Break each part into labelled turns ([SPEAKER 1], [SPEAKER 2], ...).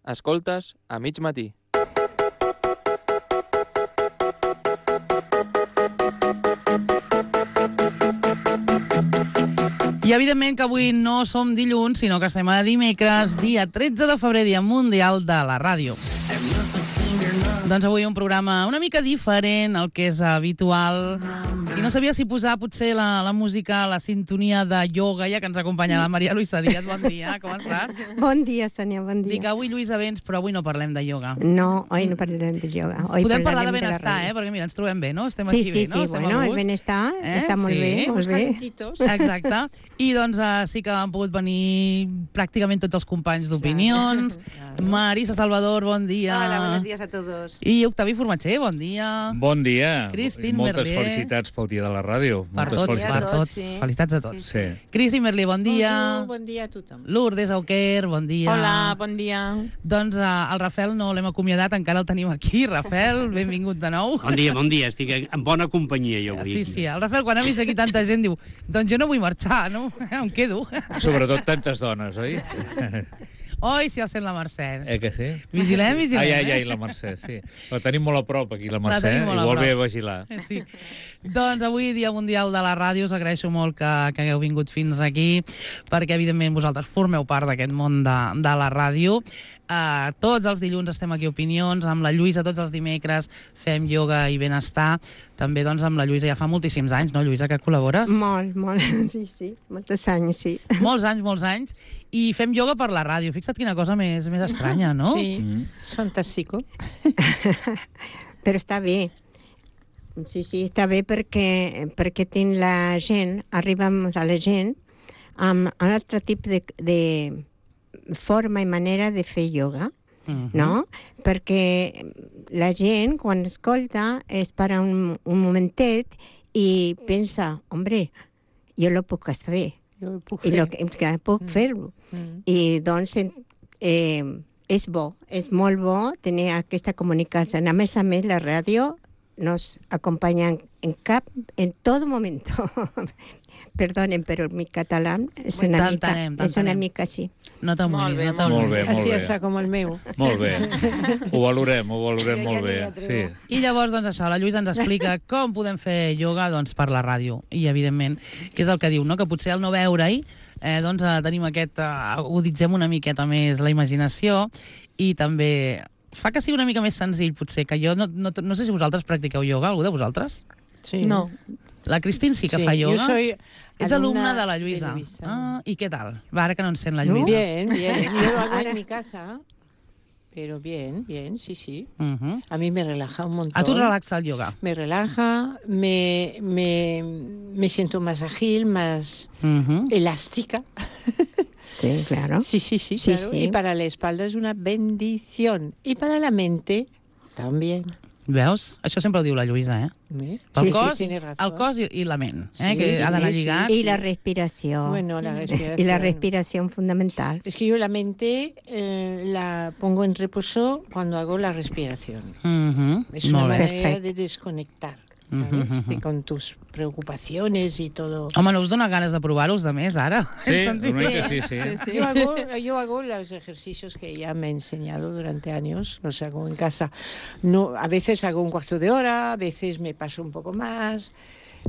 [SPEAKER 1] Escoltes a mig matí.
[SPEAKER 2] I evidentment que avui no som dilluns, sinó que estem a dimecres, dia 13 de febrer, dia mundial de la ràdio. Doncs avui un programa una mica diferent al que és habitual. I no sabia si posar potser la música, la sintonia de ioga, ja que ens acompanya la Maria Luisa Díaz. Bon dia, com estàs?
[SPEAKER 3] Bon dia, Sònia, bon dia.
[SPEAKER 2] Dic, avui Lluïsa vens, però avui no parlem de ioga.
[SPEAKER 3] No, hoy no parlarem de ioga. Hoy
[SPEAKER 2] Podem parlar de
[SPEAKER 3] parlarem
[SPEAKER 2] benestar,
[SPEAKER 3] la
[SPEAKER 2] perquè mira, ens trobem bé, no? Estem
[SPEAKER 3] Sí,
[SPEAKER 2] aquí
[SPEAKER 3] sí,
[SPEAKER 2] bé, no?
[SPEAKER 3] sí, bueno, el benestar està molt bé, molt bé.
[SPEAKER 2] Exacte. I doncs sí que han pogut venir pràcticament tots els companys d'opinions. Marisa Salvador, bon dia.
[SPEAKER 4] Hola, buenos días a todos.
[SPEAKER 2] I Octavi Formatger, bon dia.
[SPEAKER 5] Bon dia.
[SPEAKER 2] Cristín
[SPEAKER 5] Moltes
[SPEAKER 2] Merlier.
[SPEAKER 5] felicitats pel dia de la ràdio.
[SPEAKER 2] Per
[SPEAKER 5] Moltes
[SPEAKER 2] tots,
[SPEAKER 5] felicitats.
[SPEAKER 2] per tots.
[SPEAKER 4] Sí.
[SPEAKER 2] Felicitats a tots.
[SPEAKER 5] Sí.
[SPEAKER 2] Cristín Merlier, bon dia.
[SPEAKER 4] Bon dia a tothom.
[SPEAKER 2] Lourdes Auquer, bon dia.
[SPEAKER 6] Hola, bon dia.
[SPEAKER 2] Doncs el Rafel no l'hem acomiadat, encara el tenim aquí. Rafel, benvingut de nou.
[SPEAKER 7] Bon dia, estic en bona companyia jo avui.
[SPEAKER 2] Sí, sí, el Rafel quan ha vist aquí tanta gent diu doncs jo no vull marxar, no? Em quedo.
[SPEAKER 5] Sobretot tantes dones, oi?
[SPEAKER 2] Oi, si el sent la Mercè.
[SPEAKER 5] Que sí?
[SPEAKER 2] Vigilem, vigilem.
[SPEAKER 5] Ai, la Mercè, sí. La tenim molt a prop, aquí, la Mercè.
[SPEAKER 2] tenim molt a
[SPEAKER 5] Igual
[SPEAKER 2] prop.
[SPEAKER 5] bé a vigilar.
[SPEAKER 2] Sí. Doncs avui, Dia Mundial de la Ràdio, us agraeixo molt que hagueu vingut fins aquí, perquè, evidentment, vosaltres formeu part d'aquest món de la ràdio. Tots els dilluns estem aquí a Opinions, amb la Lluïsa tots els dimecres fem ioga i benestar. També doncs, amb la Lluïsa ja fa moltíssims anys, no, Lluïsa, que col·labores?
[SPEAKER 3] Molt, sí, molts anys, sí.
[SPEAKER 2] Molts anys. I fem ioga per la ràdio. Fixa't quina cosa més estranya, no?
[SPEAKER 4] Sí, fantàstico.
[SPEAKER 3] Però està bé. Sí, està bé perquè tinc la gent, arribem a la gent amb un altre tipus de forma i manera de fer ioga, no? Perquè la gent, quan escolta, es para un momentet i pensa, hombre, jo lo puc fer.
[SPEAKER 4] Jo puc
[SPEAKER 3] I
[SPEAKER 4] fer.
[SPEAKER 3] puc fer-ho. I doncs és bo, és molt bo tenir aquesta comunicació. A més, la ràdio nos acompaña en todo momento. Perdonen, pero mi catalán es una mica así.
[SPEAKER 2] No te'n
[SPEAKER 6] Molt bé,
[SPEAKER 2] vulguis.
[SPEAKER 5] Molt bé, molt
[SPEAKER 4] Així
[SPEAKER 5] bé.
[SPEAKER 4] està com el meu.
[SPEAKER 5] Molt bé. Ho valorem molt bé. Sí.
[SPEAKER 2] I llavors, doncs això, la Lluïsa ens explica com podem fer ioga doncs, per la ràdio. I, evidentment, que és el que diu, no? Que potser al no veure-hi doncs, tenim aquest... aguditzem una miqueta més la imaginació i també fa que sigui una mica més senzill, potser, que jo no sé si vosaltres practiqueu ioga, algú de vosaltres?
[SPEAKER 4] Sí.
[SPEAKER 6] No.
[SPEAKER 2] La Cristín sí que fa
[SPEAKER 4] Yo
[SPEAKER 2] ioga.
[SPEAKER 4] soy
[SPEAKER 2] Ets alumna de la Lluïsa.
[SPEAKER 4] de Luisa.
[SPEAKER 2] I què tal? Va, ara que no ens sent la Lluïsa.
[SPEAKER 4] Bien. Yo lo hago en mi casa, pero bien, sí. A mí me relaja un montón.
[SPEAKER 2] A tu et relaxa el ioga.
[SPEAKER 4] Me relaja, me siento más ágil, más elástica.
[SPEAKER 3] Sí, claro.
[SPEAKER 4] Sí, claro.
[SPEAKER 3] Sí.
[SPEAKER 4] Y para la espalda es una bendición. Y para la mente también.
[SPEAKER 2] Veus? Això sempre ho diu la Lluïsa,
[SPEAKER 4] Sí,
[SPEAKER 2] cos,
[SPEAKER 4] tiene razón.
[SPEAKER 2] el cos i la ment,
[SPEAKER 4] Sí,
[SPEAKER 2] que ha d'anar lligat.
[SPEAKER 3] Y la respiración.
[SPEAKER 4] Bueno, la respiración.
[SPEAKER 3] Y la respiración fundamental.
[SPEAKER 4] Es que yo la mente la pongo en reposo cuando hago la respiración. Es una
[SPEAKER 2] Molt bé.
[SPEAKER 4] manera
[SPEAKER 3] Perfecto.
[SPEAKER 4] de desconectar, ¿sabes? De con tus preocupaciones y todo.
[SPEAKER 2] Home, no us dona ganes de provar-los de més, ara?
[SPEAKER 5] Sí, una mica sí.
[SPEAKER 4] Yo hago los ejercicios que ella me ha enseñado durante años, los hago en casa. No, a veces hago un cuarto de hora, a veces me paso un poco más,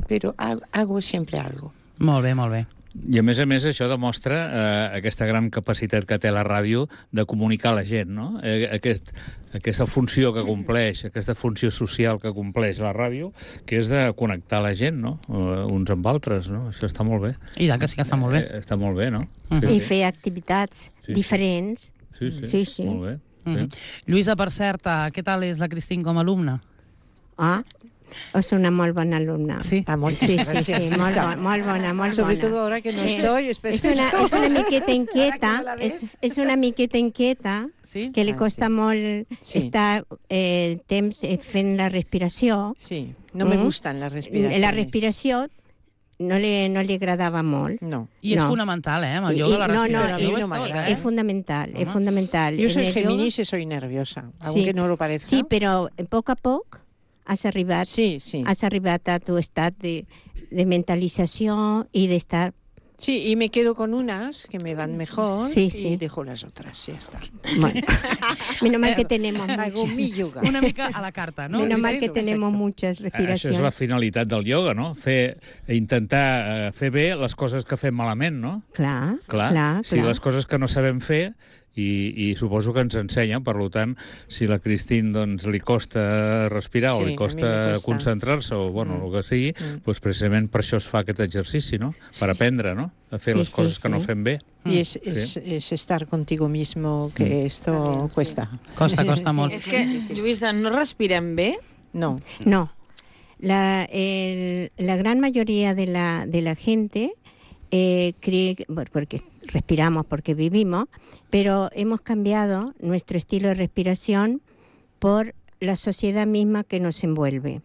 [SPEAKER 4] pero hago siempre algo.
[SPEAKER 2] Molt bé.
[SPEAKER 5] I a més, això demostra aquesta gran capacitat que té la ràdio de comunicar a la gent, no? Aquesta funció que compleix, aquesta funció social que compleix la ràdio, que és de connectar la gent, no? Uns amb altres, no? Això està molt bé.
[SPEAKER 2] I tant que sí que està molt bé.
[SPEAKER 5] Està molt bé, no?
[SPEAKER 3] I fer activitats diferents.
[SPEAKER 5] Sí. Molt bé.
[SPEAKER 2] Lluïsa, per cert, què tal és la Cristín com a alumna?
[SPEAKER 3] És una molt bona alumna.
[SPEAKER 2] Sí?
[SPEAKER 4] Molt
[SPEAKER 3] Sí, molt bona.
[SPEAKER 4] Sobre todo ahora que no estoy,
[SPEAKER 3] Es una miqueta inquieta, és una miqueta inquieta,
[SPEAKER 2] Sí?
[SPEAKER 3] que li costa molt estar temps fent la respiració.
[SPEAKER 4] Sí, no me gustan las respiraciones.
[SPEAKER 3] La respiració no li agradava molt.
[SPEAKER 4] No.
[SPEAKER 2] I és
[SPEAKER 3] No.
[SPEAKER 2] fonamental, amb el ioga, la respiració
[SPEAKER 4] no m'agrada.
[SPEAKER 3] Es fundamental.
[SPEAKER 4] Yo soy
[SPEAKER 3] En el yoga-
[SPEAKER 4] Géminis y soy nerviosa,
[SPEAKER 3] Sí.
[SPEAKER 4] aunque no lo parezca.
[SPEAKER 3] Sí, però a poc a poc has arribat
[SPEAKER 4] Sí.
[SPEAKER 3] a tu estat de mentalització i d'estar
[SPEAKER 4] Sí, y me quedo con unas que me van mejor
[SPEAKER 3] Sí,
[SPEAKER 4] y
[SPEAKER 3] sí.
[SPEAKER 4] dejo las otras, ya está.
[SPEAKER 3] Bueno, menos mal que tenemos
[SPEAKER 4] Hago mi
[SPEAKER 3] muchas.
[SPEAKER 4] yoga.
[SPEAKER 2] Una mica a la carta, no?
[SPEAKER 3] Menos mal
[SPEAKER 2] Sí,
[SPEAKER 3] que
[SPEAKER 2] no?
[SPEAKER 3] tenemos muchas
[SPEAKER 5] Això és la
[SPEAKER 3] respiracions.
[SPEAKER 5] finalitat del ioga, no? Intentar fer bé les coses que fem malament, no?
[SPEAKER 3] Clar,
[SPEAKER 5] Clar,
[SPEAKER 3] clar,
[SPEAKER 5] si les coses que no sabem fer i suposo que ens ensenyen, per tant, si la Cristín doncs, li costa respirar o
[SPEAKER 4] Sí,
[SPEAKER 5] li
[SPEAKER 4] a mi
[SPEAKER 5] costa
[SPEAKER 4] me cuesta.
[SPEAKER 5] concentrar-se o bueno, el que sigui, doncs precisament per això es fa aquest exercici, no? Per aprendre, no? A fer
[SPEAKER 3] Sí,
[SPEAKER 5] les coses
[SPEAKER 3] sí,
[SPEAKER 5] que no
[SPEAKER 3] sí.
[SPEAKER 5] fem bé.
[SPEAKER 4] Y es estar contigo mismo, que esto cuesta.
[SPEAKER 2] Costa molt.
[SPEAKER 6] És que, Lluïsa, no respirem bé?
[SPEAKER 4] No.
[SPEAKER 3] No. La gran mayoría de la gente cree, bueno, porque respiramos, porque vivimos, pero hemos cambiado nuestro estilo de respiración por la sociedad misma que nos envuelve.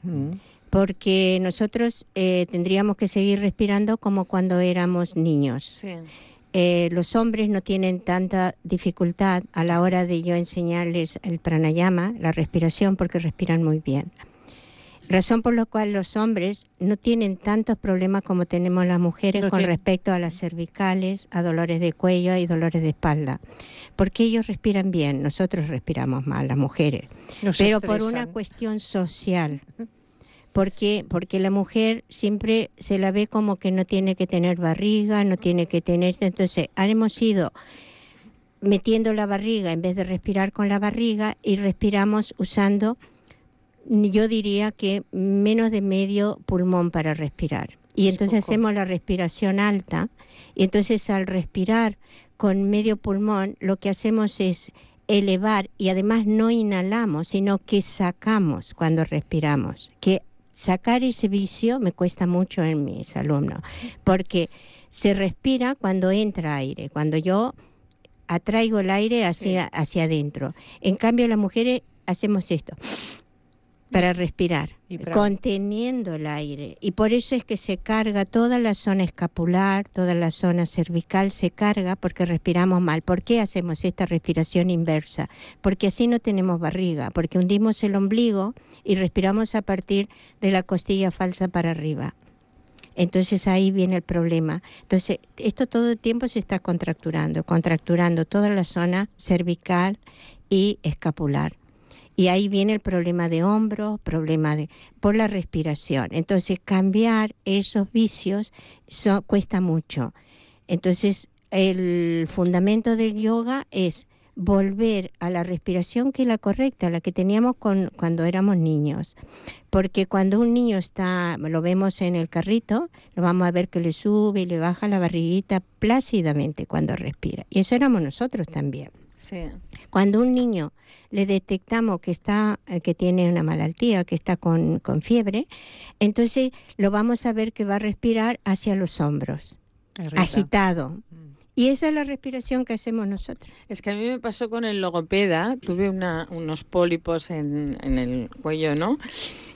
[SPEAKER 3] Porque nosotros tendríamos que seguir respirando como cuando éramos niños.
[SPEAKER 6] Sí.
[SPEAKER 3] Los hombres no tienen tanta dificultad a la hora de yo enseñarles el pranayama, la respiración, porque respiran muy bien. Razón por la cual los hombres no tienen tantos problemas como tenemos las mujeres con respecto a las cervicales, a dolores de cuello y dolores de espalda. Porque ellos respiran bien, nosotros respiramos mal, las mujeres. Pero por una cuestión social. Porque la mujer siempre se la ve como que no tiene que tener barriga, no tiene que tener... Entonces, hemos ido metiendo la barriga en vez de respirar con la barriga y respiramos usando, yo diría que menos de medio pulmón para respirar. Y entonces hacemos la respiración alta y entonces al respirar con medio pulmón lo que hacemos es elevar y además no inhalamos, sino que sacamos cuando respiramos. Que sacar ese vicio me cuesta mucho en mis alumnos, porque se respira cuando entra aire, cuando yo atraigo el aire hacia adentro. En cambio, las mujeres hacemos esto para respirar, conteniendo el aire. Y por eso es que se carga toda la zona escapular, toda la zona cervical se carga porque respiramos mal. ¿Por qué hacemos esta respiración inversa? Porque así no tenemos barriga, porque hundimos el ombligo y respiramos a partir de la costilla falsa para arriba. Entonces ahí viene el problema. Entonces esto todo el tiempo se está contracturando toda la zona cervical y escapular. Y ahí viene el problema de hombros, por la respiración. Entonces, cambiar esos vicios cuesta mucho. Entonces, el fundamento del yoga es volver a la respiración que es la correcta, la que teníamos cuando éramos niños. Porque cuando un niño lo vemos en el carrito, lo vamos a ver que le sube y le baja la barriguita plácidamente cuando respira. Y eso éramos nosotros también.
[SPEAKER 6] Sí.
[SPEAKER 3] Cuando un niño le detectamos que tiene una malaltía, que está con fiebre, entonces lo vamos a ver que va a respirar hacia los hombros, agitado. Y esa es la respiración que hacemos nosotros.
[SPEAKER 6] Es que a mí me pasó con el logopeda, tuve unos pólipos en el cuello, ¿no?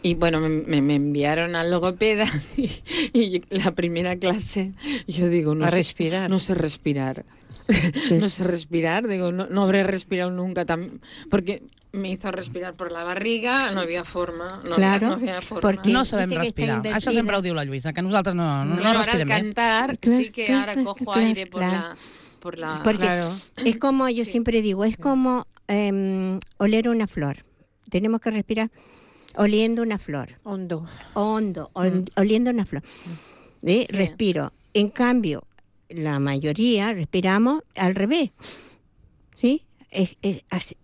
[SPEAKER 6] Y bueno, me enviaron al logopeda y la primera clase yo digo, no sé respirar. No sé respirar. No sé respirar, digo, no habré respirado nunca porque me hizo respirar por la barriga, no había forma. No había forma.
[SPEAKER 2] Porque no sabem respirar. Això sempre ho diu la Lluïsa, que nosaltres no respirem bé.
[SPEAKER 6] Ahora al cantar sí que ahora cojo aire por la...
[SPEAKER 3] Porque es como, yo siempre digo, es como oler una flor. Tenemos que respirar oliendo una flor.
[SPEAKER 4] Hondo,
[SPEAKER 3] oliendo una flor. Sí. Respiro. En cambio, la mayoría respiramos al revés, ¿sí?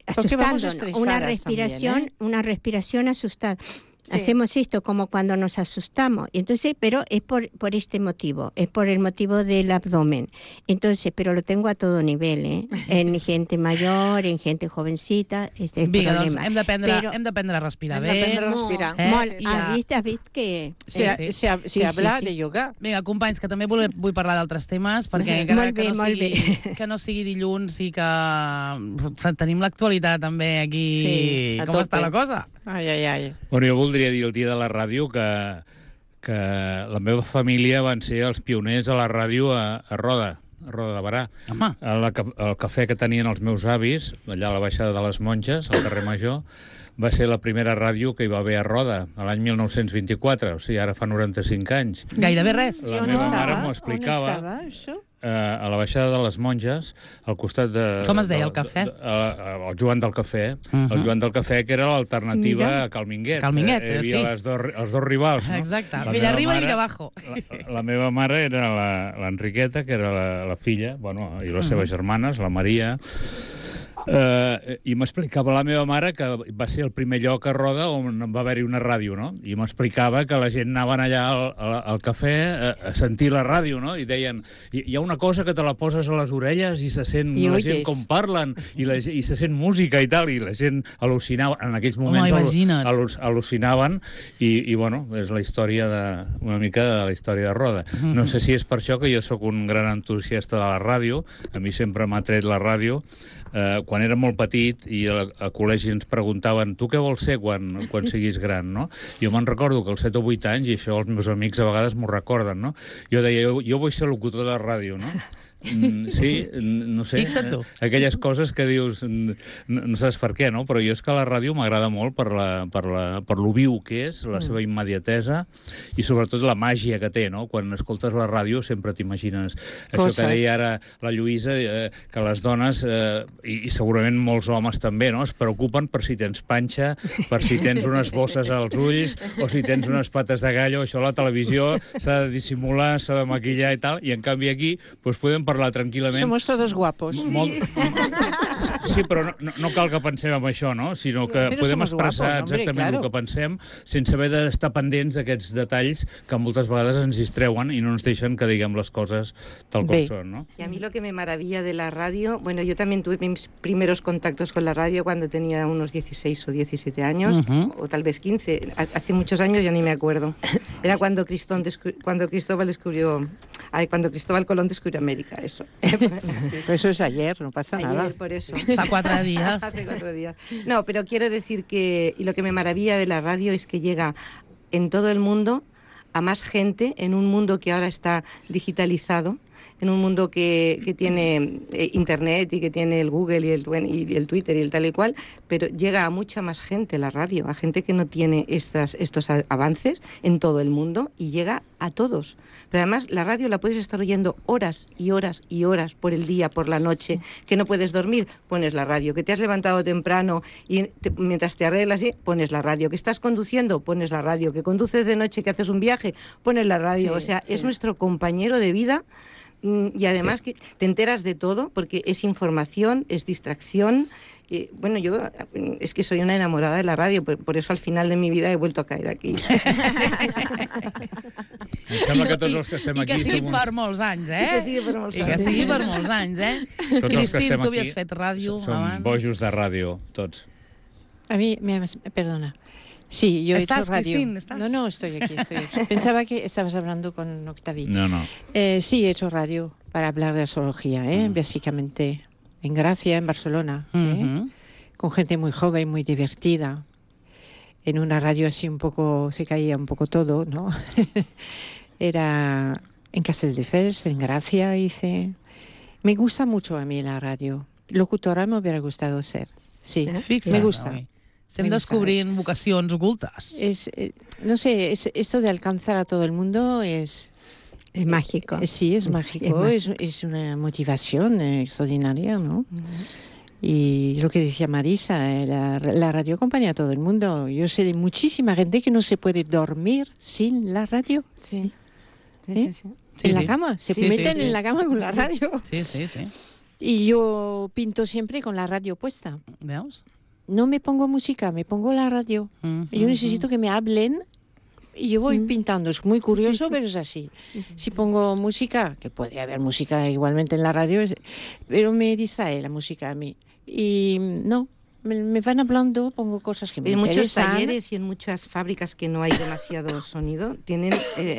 [SPEAKER 3] Asustándonos. Una respiración asustada. Sí. Hacemos esto como cuando nos asustamos. Entonces, pero es por este motivo, es por el motivo del abdomen. Entonces, pero lo tengo a todo nivel, ¿eh? En gente mayor, en gente jovencita, este es el
[SPEAKER 2] problema.
[SPEAKER 3] Doncs
[SPEAKER 2] hem d'aprendre a respirar bé.
[SPEAKER 6] Hem d'aprendre a respirar.
[SPEAKER 3] Has vist que...
[SPEAKER 4] Se habla de yoga.
[SPEAKER 2] Vinga, companys, que també vull parlar d'altres temes, perquè encara que no sigui dilluns i que tenim l'actualitat també aquí, com està la cosa.
[SPEAKER 4] Ai.
[SPEAKER 5] Bueno, jo voldria dir el dia de la ràdio que la meva família van ser els pioners a la ràdio a Roda, Roda de Barà.
[SPEAKER 2] Home.
[SPEAKER 5] El cafè que tenien els meus avis, allà a la baixada de les Monges, al carrer Major, va ser la primera ràdio que hi va haver a Roda, l'any 1924, o sigui, ara fa 95 anys.
[SPEAKER 2] Gairebé res.
[SPEAKER 5] La meva mare m'ho explicava.
[SPEAKER 4] On estava, això?
[SPEAKER 5] A la baixada de les Monges, al costat de...
[SPEAKER 2] Com es deia, el cafè?
[SPEAKER 5] El Joan del Cafè. El Joan del Cafè, que era l'alternativa a Cal Minguet.
[SPEAKER 2] Cal Minguet,
[SPEAKER 5] Hi havia els dos rivals, no?
[SPEAKER 2] Exacte,
[SPEAKER 5] La
[SPEAKER 2] Villarriba
[SPEAKER 5] meva
[SPEAKER 2] i Villabajo.
[SPEAKER 5] La meva mare era l'Enriqueta, que era la filla, bueno, i les seves germanes, la Maria... I m'explicava la meva mare que va ser el primer lloc a Roda on va haver-hi una ràdio, no? I m'explicava que la gent anaven allà al cafè a sentir la ràdio, no? I deien, hi ha una cosa que te la poses a les orelles i se sent la gent com parlen i se sent música i tal, i la gent al·lucinava, en aquells moments al·lucinaven i bueno, és la història una mica de la història de Roda. No sé si és per això que jo sóc un gran entusiasta de la ràdio, a mi sempre m'ha tret la ràdio. Quan era molt petit i a col·legi ens preguntaven tu què vols ser quan siguis gran, no? Jo me'n recordo que als 7 o 8 anys, i això els meus amics a vegades m'ho recorden, no? Jo deia, jo vull ser locutor de ràdio, no? Sí, no sé, aquelles coses que dius no saps per què, no? Però jo és que la ràdio m'agrada molt per lo viu que és, la seva immediatesa i sobretot la màgia que té, no? Quan escoltes la ràdio sempre t'imagines això que deia ara la Lluïsa, que les dones i segurament molts homes també, no? Es preocupen per si tens panxa, per si tens unes bosses als ulls o si tens unes pates de gallo. Això a la televisió s'ha de dissimular, s'ha de maquillar i tal, i en canvi aquí doncs podem parlar tranquil·lament.
[SPEAKER 4] Somos todos guapos.
[SPEAKER 5] Sí, però no cal que pensem en això, no? Sinó que podem expressar exactament el que pensem sense haver d'estar pendents d'aquests detalls que moltes vegades ens distreuen y no nos deixen que diguem les coses tal com són, ¿no?
[SPEAKER 3] Y a mí lo que me maravilla de la radio, bueno, yo también tuve mis primeros contactos con la radio cuando tenía unos 16 o 17 años, o tal vez 15, hace muchos años, ya ni me acuerdo. Era cuando Cristóbal Colón descubrió América, eso.
[SPEAKER 4] Pero eso es ayer, no pasa nada.
[SPEAKER 3] Ayer, por eso.
[SPEAKER 2] Hace 4 días.
[SPEAKER 3] Hace 4 días. No, pero quiero decir que, y lo que me maravilla de la radio es que llega en todo el mundo a más gente, en un mundo que ahora está digitalizado, en un mundo que tiene internet y que tiene el Google y el Twitter y el tal y cual, pero llega a mucha más gente la radio, a gente que no tiene estos avances en todo el mundo y llega a todos. Pero además la radio la puedes estar oyendo horas y horas y horas por el día, por la noche, que no puedes dormir, pones la radio, que te has levantado temprano y mientras te arreglas, pones la radio, que estás conduciendo, pones la radio, que conduces de noche, que haces un viaje, pones la radio. O sea, es nuestro compañero de vida. Y además que te enteras de todo porque es información, es distracción. Y, bueno, yo es que soy una enamorada de la radio, por eso al final de mi vida he vuelto a caer aquí.
[SPEAKER 5] Em sembla que tots els que estem aquí...
[SPEAKER 2] I que sigui per molts anys, eh?
[SPEAKER 3] I que sigui per molts anys.
[SPEAKER 2] I que sigui per molts anys, eh?
[SPEAKER 5] Tots els que estem
[SPEAKER 2] tu havies
[SPEAKER 5] aquí
[SPEAKER 2] fet ràdio
[SPEAKER 5] som
[SPEAKER 2] abans.
[SPEAKER 5] bojos de ràdio, tots.
[SPEAKER 4] A mí, perdona. Sí, yo he hecho radio.
[SPEAKER 2] Cristín, ¿estás?
[SPEAKER 4] No, estoy aquí. Pensaba que estabas hablando con Octaví.
[SPEAKER 5] No.
[SPEAKER 4] Sí, he hecho radio para hablar de astrología, básicamente en Gracia, en Barcelona, con gente muy joven, muy divertida. En una radio así un poco, se caía un poco todo, ¿no? Era en Castelldefels, en Gracia hice. Me gusta mucho a mí la radio. Locutora me hubiera gustado ser. Sí, me gusta.
[SPEAKER 2] Estem descobrint vocacions ocultes.
[SPEAKER 4] No sé, esto de alcanzar a todo el mundo es
[SPEAKER 3] mágico.
[SPEAKER 4] Sí, es mágico. Es una motivación extraordinaria, ¿no? Y lo que decía Marisa, la radio acompaña a todo el mundo. Yo sé de muchísima gente que no se puede dormir sin la radio.
[SPEAKER 3] Sí.
[SPEAKER 4] En la cama. Se meten en la cama con la radio.
[SPEAKER 2] Sí.
[SPEAKER 4] Y yo pinto siempre con la radio puesta.
[SPEAKER 2] Veus?
[SPEAKER 4] No me pongo música, me pongo la radio. Yo necesito que me hablen y yo voy pintando. Es muy curioso, pero es así. Si pongo música, que puede haber música igualmente en la radio, pero me distrae la música a mí. Y no, me van hablando, pongo cosas que me interesan.
[SPEAKER 3] En muchos talleres y en muchas fábricas que no hay demasiado sonido, tienen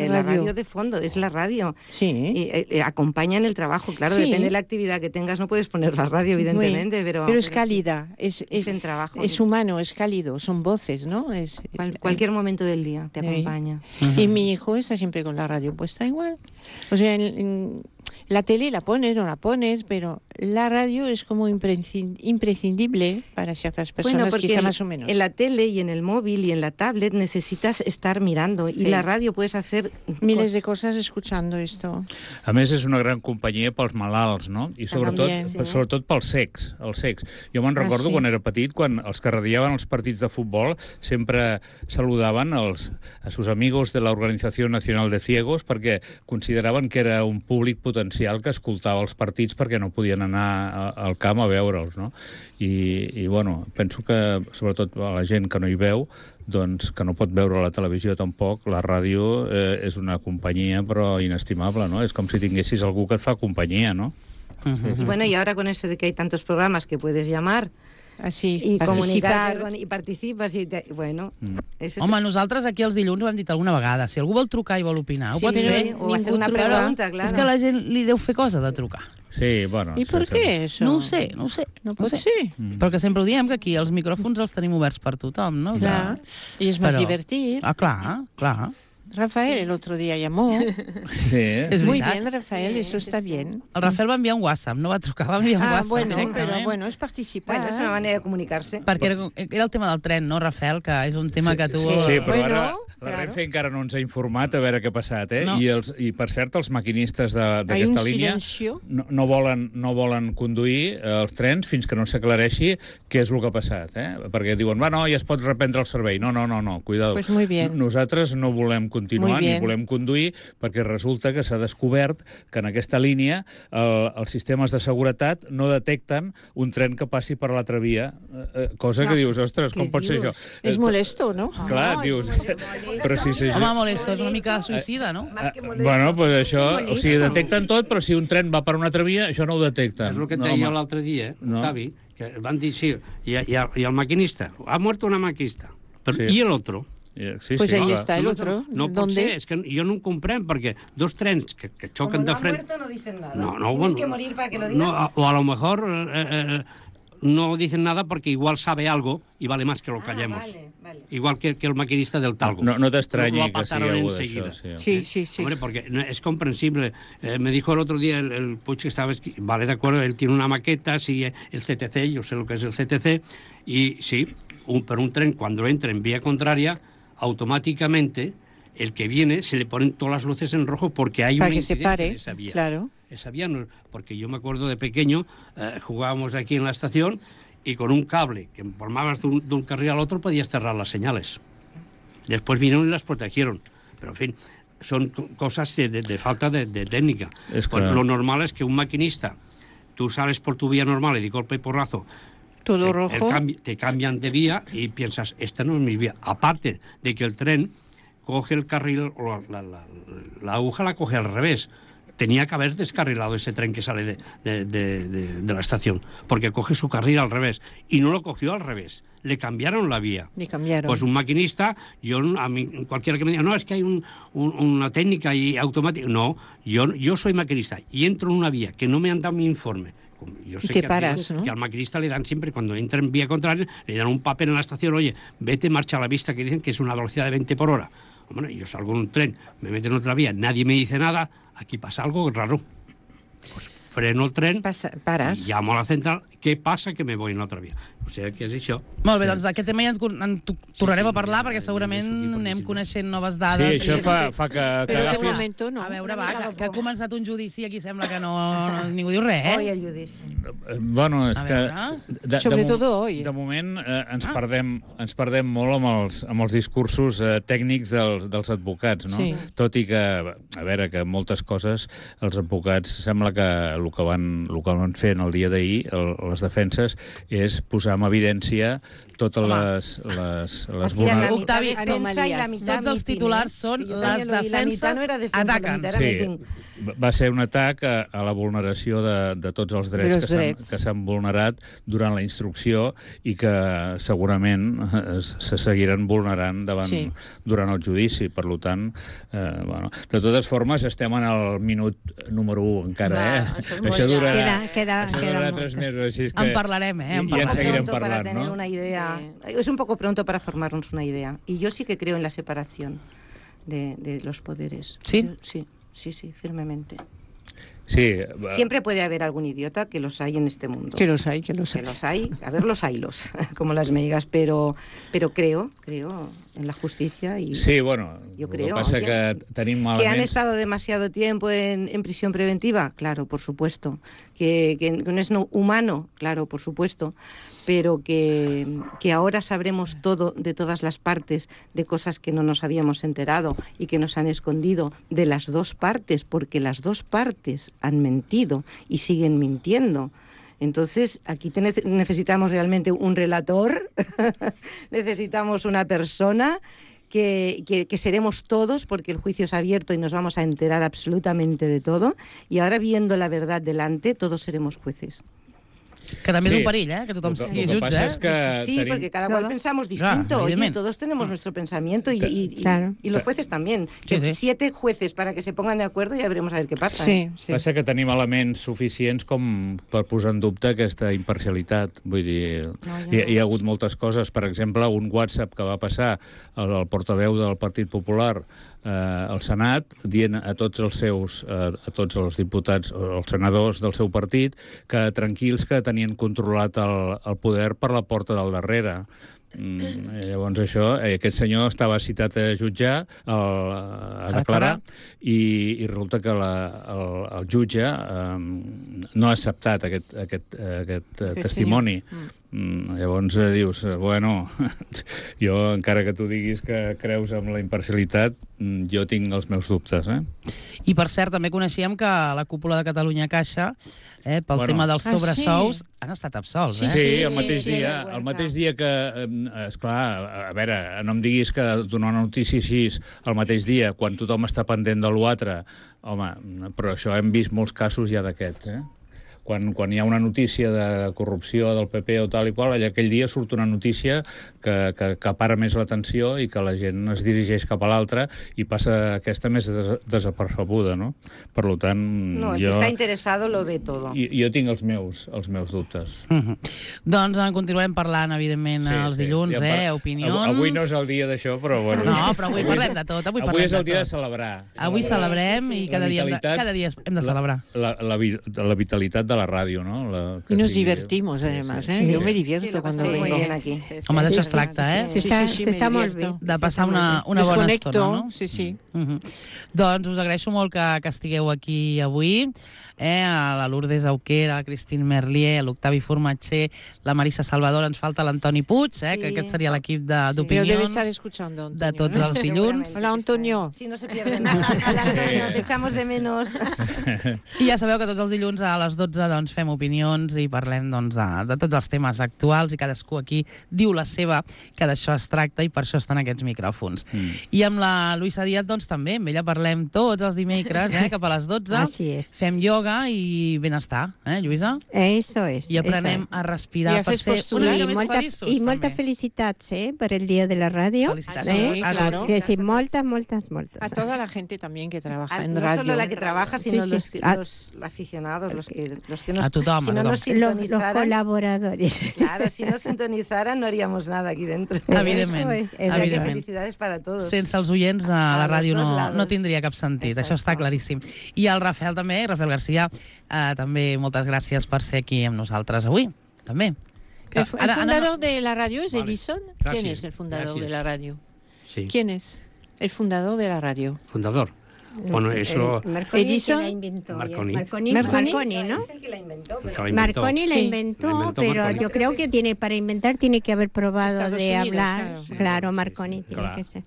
[SPEAKER 3] la radio de fondo, es la radio.
[SPEAKER 4] Sí.
[SPEAKER 3] Acompañan el trabajo, claro,
[SPEAKER 4] Sí.
[SPEAKER 3] depende de la actividad que tengas, no puedes poner la radio, evidentemente, pero
[SPEAKER 4] es cálida,
[SPEAKER 3] sí. Es en trabajo.
[SPEAKER 4] Es humano, es cálido, son voces, ¿no?
[SPEAKER 3] Cualquier momento del día te acompaña.
[SPEAKER 4] Y mi hijo está siempre con la radio puesta igual. O sea, La tele la pones o no la pones, pero la radio es como imprescindible para ciertas personas,
[SPEAKER 8] porque
[SPEAKER 4] quizá más o menos.
[SPEAKER 8] En la tele y en el móvil y en la tablet necesitas estar mirando.
[SPEAKER 4] Sí.
[SPEAKER 8] Y la radio puedes hacer
[SPEAKER 4] miles de cosas escuchando esto.
[SPEAKER 5] A més, és una gran companyia pels malalts, no? I sobretot pels cecs, els cecs. Jo me'n recordo quan era petit, quan els que radiaven els partits de futbol sempre saludaven a sus amigos de la Organización Nacional de Ciegos perquè consideraven que era un públic potencial que escoltava els partits perquè no podien anar al camp a veure'ls, no? I bueno, penso que, sobretot a la gent que no hi veu, doncs que no pot veure la televisió tampoc, la ràdio és una companyia però inestimable, no? És com si tinguessis algú que et fa companyia, no?
[SPEAKER 8] Y bueno, y ahora con eso de que hay tantos programas que puedes llamar
[SPEAKER 4] así,
[SPEAKER 8] y comunicar y participas y bueno, eso
[SPEAKER 2] home, nosaltres aquí els dilluns ho hem dit alguna vegada, si algú vol trucar i vol opinar, ho pot fer
[SPEAKER 8] o hacer una pregunta, claro.
[SPEAKER 2] És que a la gent li deu fer cosa de trucar.
[SPEAKER 5] Sí, bueno.
[SPEAKER 4] ¿Y por qué eso?
[SPEAKER 2] No ho sé.
[SPEAKER 4] No pot ser.
[SPEAKER 2] Però que sempre ho diem, que aquí els micròfons els tenim oberts per tothom, no?
[SPEAKER 4] Clar, y es más divertido.
[SPEAKER 2] Ah, clar.
[SPEAKER 4] Rafael el otro día llamó.
[SPEAKER 5] Sí.
[SPEAKER 2] És
[SPEAKER 4] Muy
[SPEAKER 2] veritat.
[SPEAKER 4] bien, Rafael, eso está bien.
[SPEAKER 2] El Rafael va enviar un WhatsApp, no va trucar, va enviar un WhatsApp
[SPEAKER 4] bueno,
[SPEAKER 2] directament.
[SPEAKER 4] pero bueno, es participar.
[SPEAKER 8] Bueno, es una manera de comunicarse.
[SPEAKER 2] Perquè era el tema del tren, no, Rafael? Que és un tema que tu...
[SPEAKER 5] Sí, però
[SPEAKER 4] Bueno,
[SPEAKER 5] ara la Renfe encara no ens ha informat a veure què ha passat, eh?
[SPEAKER 2] No.
[SPEAKER 5] I per cert, els maquinistes d'aquesta línia no volen conduir els trens fins que no s'aclareixi què és el que ha passat, eh? Perquè diuen, no, ja es pot reprendre el servei. No, cuidado.
[SPEAKER 4] Pues muy bien.
[SPEAKER 5] Nosaltres no volem continuar ni volem conduir perquè resulta que s'ha descobert que en aquesta línia els sistemes de seguretat no detecten un tren que passi per l'altra via, cosa que dius, ostres, com pot ser això?
[SPEAKER 4] És molesto, no?
[SPEAKER 5] Clar, dius... Però si
[SPEAKER 2] home, molesto, és una mica suïcida, no?
[SPEAKER 5] Bueno, pues això, o sigui, detecten tot, però si un tren va per una altra via, això no ho detecten.
[SPEAKER 7] És el que et deia l'altre dia, Octavi, que van dir, sí, i el maquinista, ha muerto una maquinista, però i l'altre?
[SPEAKER 4] Pues ahí está el otro.
[SPEAKER 7] No pot ser, és que jo no ho comprenc, perquè dos trens que xoquen de frente...
[SPEAKER 8] Como no ha muerto, no dicen nada.
[SPEAKER 7] No,
[SPEAKER 8] Tienes que morir para que lo digan.
[SPEAKER 7] O a lo mejor no dicen nada porque igual sabe algo y vale más que lo callemos. Vale. Igual que el maquinista del talgo.
[SPEAKER 5] No te extrañe que
[SPEAKER 7] siga algo de
[SPEAKER 5] eso.
[SPEAKER 4] Sí.
[SPEAKER 7] Hombre, porque es comprensible. Me dijo el otro día el Puig que estaba... Vale, de acuerdo, él tiene una maqueta, sigue el CTC, yo sé lo que es el CTC, y sí, pero un tren cuando entra en vía contraria, automáticamente el que viene se le ponen todas las luces en rojo porque hay una incidencia en esa vía.
[SPEAKER 4] Claro.
[SPEAKER 7] Esa vía no, porque yo me acuerdo de pequeño, jugábamos aquí en la estación y con un cable que formabas de un carril al otro podías cerrar las señales. Después vinieron y las protegieron. Pero en fin, son cosas de falta de técnica. Lo normal es que un maquinista, tú sales por tu vía normal y de golpe y porrazo,
[SPEAKER 4] todo rojo,
[SPEAKER 7] te cambian de vía y piensas, esta no es mi vía. Aparte de que el tren coge el carril, o la aguja la coge al revés. Tenía que haber descarrilado ese tren que sale de la estación, porque coge su carril al revés. Y no lo cogió al revés. Le cambiaron la vía. Pues un maquinista, a mí, cualquiera que me diga, no, es que hay una técnica y automática. No, yo soy maquinista y entro en una vía que no me han dado mi informe. Yo sé que al maquinista le dan siempre, cuando entra en vía contraria, le dan un papel en la estación, oye, vete, marcha a la vista, que dicen que es una velocidad de 20 por hora. Hombre, yo salgo en un tren, me meto en otra vía, nadie me dice nada, aquí pasa algo raro. Pues freno el tren,
[SPEAKER 4] pares.
[SPEAKER 7] Llamo a la central, què passa? Que me voy en l'altra via. O sigui, que és això.
[SPEAKER 2] Molt bé, doncs d'aquest tema ja en tornarem a parlar, perquè segurament anem coneixent noves dades.
[SPEAKER 5] Sí, això fa que agafis...
[SPEAKER 2] A veure, va, que ha començat un judici, aquí sembla que ningú diu res,
[SPEAKER 8] Hoy el judici.
[SPEAKER 5] Bueno, és que...
[SPEAKER 4] De
[SPEAKER 5] moment ens perdem molt amb els discursos tècnics dels advocats, no? Tot i que, a veure, que moltes coses els advocats sembla que el que van fer en el dia d'ahir, les defenses, és posar en evidència totes les
[SPEAKER 2] Octavi, tots els titulars són les defenses ataquen.
[SPEAKER 5] Sí, va ser un atac a la vulneració de tots els drets que s'han vulnerat durant la instrucció i que segurament se seguiran vulnerant durant el judici. Per tant, de totes formes, estem en el minut número 1 encara, Això durarà 3 mesos, així que...
[SPEAKER 2] En parlarem,
[SPEAKER 5] I en seguirem parlant,
[SPEAKER 8] para tener una idea. Es un poco pronto para formarnos una idea. Y yo sí que creo en la separación de los poderes.
[SPEAKER 2] ¿Sí?
[SPEAKER 8] Sí, firmemente.
[SPEAKER 5] Sí,
[SPEAKER 8] Siempre puede haber algún idiota, que los hay en este mundo.
[SPEAKER 4] Que los hay, que los hay.
[SPEAKER 8] Que los hay, a ver, los haylos, como las meigas, pero creo en la justicia y
[SPEAKER 5] sí, bueno,
[SPEAKER 8] yo
[SPEAKER 5] el
[SPEAKER 8] creo,
[SPEAKER 5] que passa
[SPEAKER 8] oye,
[SPEAKER 5] que tenim
[SPEAKER 8] que han
[SPEAKER 5] elements...
[SPEAKER 8] estado demasiado tiempo en prisión preventiva, claro, por supuesto, que no es humano, claro, por supuesto, pero que ahora sabremos todo de todas las partes, de cosas que no nos habíamos enterado y que nos han escondido de las dos partes, porque las dos partes han mentido y siguen mintiendo. Entonces, aquí necesitamos realmente un relator, necesitamos una persona que seremos todos, porque el juicio es abierto y nos vamos a enterar absolutamente de todo, y ahora viendo la verdad delante, todos seremos jueces.
[SPEAKER 2] Que també és un perill, que tothom sigui jutge.
[SPEAKER 5] Pasa es que
[SPEAKER 8] sí, porque cada cual pensamos distinto. Oye, todos tenemos nuestro pensamiento y los jueces también.
[SPEAKER 2] Sí.
[SPEAKER 8] 7 jueces para que se pongan de acuerdo y ya veremos a ver qué pasa.
[SPEAKER 4] Sí.
[SPEAKER 5] Passa que tenim elements suficients com per posar en dubte aquesta imparcialitat. Vull dir, hi ha hagut moltes coses. Per exemple, un WhatsApp que va passar al portaveu del Partit Popular al Senat, dient a tots els diputats o els senadors del seu partit que tranquils, que tenien controlat el poder per la porta del darrere. Llavors això, aquest senyor estava citat a jutjar, a declarar, i resulta que el jutge no ha acceptat aquest testimoni. Llavors dius, bueno, jo, encara que tu diguis que creus en la imparcialitat, jo tinc els meus dubtes,
[SPEAKER 2] I, per cert, també coneixíem que la cúpula de Catalunya Caixa, pel tema dels sobresous, han estat absolts.
[SPEAKER 5] Sí, el mateix dia que... Esclar, a veure, no em diguis que donar una notícia així el mateix dia, quan tothom està pendent de l'altre, home, però això hem vist molts casos ja d'aquests, Quan hi ha una notícia de corrupció del PP o tal i qual, aquell dia surt una notícia que acapara més l'atenció i que la gent es dirigeix cap a l'altra i passa aquesta més desapercebuda, no? Per tant,
[SPEAKER 8] no, el que està interessado lo ve todo.
[SPEAKER 5] Jo tinc els meus dubtes.
[SPEAKER 2] Doncs continuarem parlant, evidentment, els dilluns, opinions...
[SPEAKER 5] Avui no és el dia d'això, però bueno...
[SPEAKER 2] No, però avui parlem de tot.
[SPEAKER 5] Avui és el dia de celebrar.
[SPEAKER 2] Avui celebrem i cada dia hem de celebrar.
[SPEAKER 5] La vitalitat de la ràdio, ¿no?
[SPEAKER 4] Y nos divertimos, además, Yo me divierto cuando vengo.
[SPEAKER 8] Muy bien aquí.
[SPEAKER 2] Home, d'això es tracta,
[SPEAKER 3] S'està molt bé.
[SPEAKER 2] De passar una bona estona, no?
[SPEAKER 4] Sí.
[SPEAKER 2] Doncs us agraeixo molt que estigueu aquí avui, a la Lourdes Auquer, a la Christine Merlier, a l'Octavi Formatger, la Marisa Salvador, ens falta l'Antoni Puig, que aquest seria l'equip d'opinions
[SPEAKER 4] debe estar escuchando, Antonio,
[SPEAKER 2] de tots els dilluns.
[SPEAKER 4] Hola, Antonio.
[SPEAKER 8] Si no se pierde nada. Hola, Antonio, te echamos de menos.
[SPEAKER 2] I ja sabeu que tots els dilluns a les 12 doncs, fem opinions i parlem doncs, de tots els temes actuals i cadascú aquí diu la seva, que d'això es tracta i per això estan aquests micròfons. I amb la Luisa Díaz doncs, també, amb ella parlem tots els dimecres, cap a les 12.
[SPEAKER 3] Así es.
[SPEAKER 2] Fem yoga i benestar, Lluïsa?
[SPEAKER 3] Eso es.
[SPEAKER 2] I aprenem a respirar per ser una mica més feliços.
[SPEAKER 3] I moltes felicitats per el Dia de la Radio.
[SPEAKER 2] Felicitats.
[SPEAKER 4] Sí, claro.
[SPEAKER 3] Sí, moltes.
[SPEAKER 4] A toda la gente también que trabaja en
[SPEAKER 8] no
[SPEAKER 4] radio.
[SPEAKER 8] solo la que trabaja, sino
[SPEAKER 3] Sí.
[SPEAKER 8] los aficionados, los que nos...
[SPEAKER 2] A tothom,
[SPEAKER 8] si
[SPEAKER 2] a
[SPEAKER 8] no
[SPEAKER 2] tothom.
[SPEAKER 8] nos sintonizaran...
[SPEAKER 3] Los colaboradores.
[SPEAKER 8] Claro, si nos sintonizaran no haríamos nada aquí dentro.
[SPEAKER 2] Evidentment.
[SPEAKER 8] O sea que felicidades para todos.
[SPEAKER 2] Sense els oients a la ràdio
[SPEAKER 8] los dos lados.
[SPEAKER 2] no tindria cap sentit,
[SPEAKER 8] Exacto.
[SPEAKER 2] això està claríssim. I el Rafael també, Rafael García, també moltes gràcies per ser aquí amb nosaltres avui, també.
[SPEAKER 4] ¿El fundador de la radio es Edison?
[SPEAKER 7] Gracias,
[SPEAKER 4] ¿Quién es el fundador
[SPEAKER 7] gracias.
[SPEAKER 4] de la radio?
[SPEAKER 7] Sí.
[SPEAKER 4] ¿Quién es el fundador de la radio?
[SPEAKER 7] Fundador. Bueno, eso...
[SPEAKER 3] Marconi
[SPEAKER 4] Edison,
[SPEAKER 3] la inventó.
[SPEAKER 7] Marconi.
[SPEAKER 3] Marconi, ¿no?
[SPEAKER 8] Es el que la inventó.
[SPEAKER 3] Marconi la
[SPEAKER 4] Sí.
[SPEAKER 3] inventó,
[SPEAKER 7] La inventó
[SPEAKER 3] pero
[SPEAKER 7] Marconi.
[SPEAKER 3] yo creo que para inventar tiene que haber probado
[SPEAKER 4] Estados
[SPEAKER 3] de
[SPEAKER 4] Unidos,
[SPEAKER 3] hablar.
[SPEAKER 4] claro.
[SPEAKER 3] Claro, Marconi tiene
[SPEAKER 5] Claro.
[SPEAKER 3] que ser.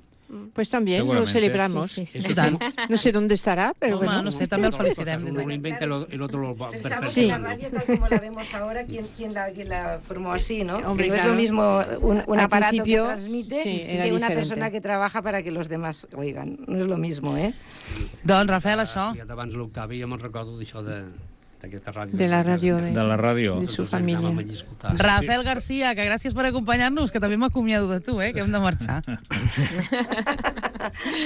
[SPEAKER 4] Pues también lo
[SPEAKER 5] Seguramente.
[SPEAKER 4] celebramos.
[SPEAKER 3] Sí.
[SPEAKER 2] I tant.
[SPEAKER 4] No sé dónde estará, pero
[SPEAKER 2] Home,
[SPEAKER 4] bueno.
[SPEAKER 2] no sé, també el felicitem des
[SPEAKER 7] Uno lo
[SPEAKER 2] d'aquí.
[SPEAKER 7] inventa, el otro lo va
[SPEAKER 8] Pensamos
[SPEAKER 4] Sí.
[SPEAKER 8] en la radio tal como la vemos ahora, ¿quién la formó así, ¿no?
[SPEAKER 4] Hombre,
[SPEAKER 8] que no es
[SPEAKER 4] claro.
[SPEAKER 8] lo mismo un
[SPEAKER 4] Al
[SPEAKER 8] aparato
[SPEAKER 4] principio,
[SPEAKER 8] que transmite
[SPEAKER 4] sí, era
[SPEAKER 8] que una
[SPEAKER 4] diferente.
[SPEAKER 8] persona que trabaja para que los demás oigan. No es lo mismo, ¿eh?
[SPEAKER 2] Doncs, Rafael, això.
[SPEAKER 7] Ja abans l'Octavi ja me'n recordo d'això d'aquesta ràdio.
[SPEAKER 4] De la radio
[SPEAKER 5] De la ràdio.
[SPEAKER 4] de su familia.
[SPEAKER 2] Rafael García, que gràcies per acompanyar-nos, que també m'acomiado de tu, que hem de marxar.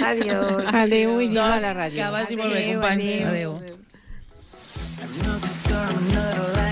[SPEAKER 8] Adiós.
[SPEAKER 4] Adeu i viva la radio.
[SPEAKER 2] Que vagi molt bé, companys. Adéu.
[SPEAKER 8] Adéu.